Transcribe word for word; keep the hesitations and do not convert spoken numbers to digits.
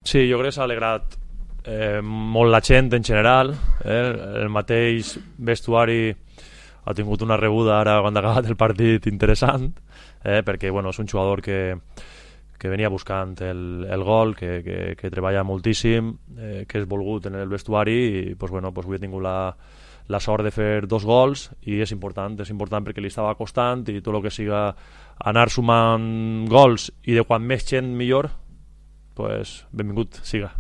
Sí, jo crec que s'ha alegrat eh, molt la gent en general, eh? El mateix vestuari ha tingut una rebuda ara quan ha acabat el partit interessant, eh? perquè bueno, és un jugador que, que venia buscant el, el gol, que, que, que treballa moltíssim, eh, que és volgut en el vestuari i pues, bueno, pues, avui he tingut la, la sort de fer dos gols i és important, és important perquè li estava costant i tot el que siga anar sumant gols i de quan més gent millor, pues, benvingut siga.